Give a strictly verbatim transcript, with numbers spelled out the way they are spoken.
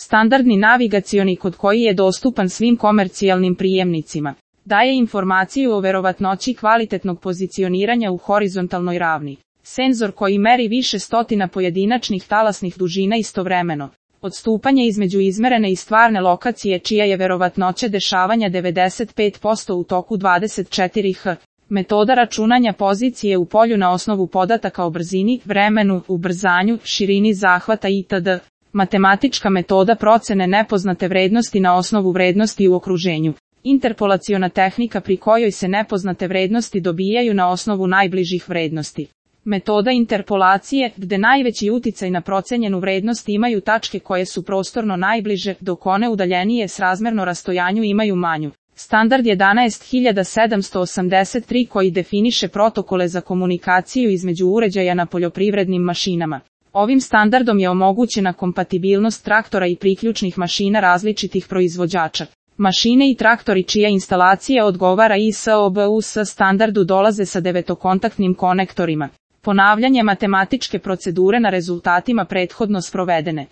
standardni navigacioni kod koji je dostupan svim komercijalnim prijemnicima. Daje informaciju o verovatnoći kvalitetnog pozicioniranja u horizontalnoj ravni. Senzor koji meri više stotina pojedinačnih talasnih dužina istovremeno. Odstupanje između izmerene i stvarne lokacije čija je verovatnoća dešavanja devedeset pet posto u toku dvadeset četiri h. Metoda računanja pozicije u polju na osnovu podataka o brzini, vremenu, ubrzanju, širini zahvata itd. Matematička metoda procene nepoznate vrednosti na osnovu vrednosti u okruženju. Interpolaciona tehnika pri kojoj se nepoznate vrednosti dobijaju na osnovu najbližih vrednosti. Metoda interpolacije, gde najveći uticaj na procenjenu vrednost imaju tačke koje su prostorno najbliže, dok one udaljenije srazmerno rastojanju imaju manju. Standard jedanaest hiljada sedamsto osamdeset tri koji definiše protokole za komunikaciju između uređaja na poljoprivrednim mašinama. Ovim standardom je omogućena kompatibilnost traktora i priključnih mašina različitih proizvođača. Mašine i traktori čija instalacija odgovara I S O B U S standardu dolaze sa devetokontaktnim konektorima. Ponavljanje matematičke procedure na rezultatima prethodno sprovedene.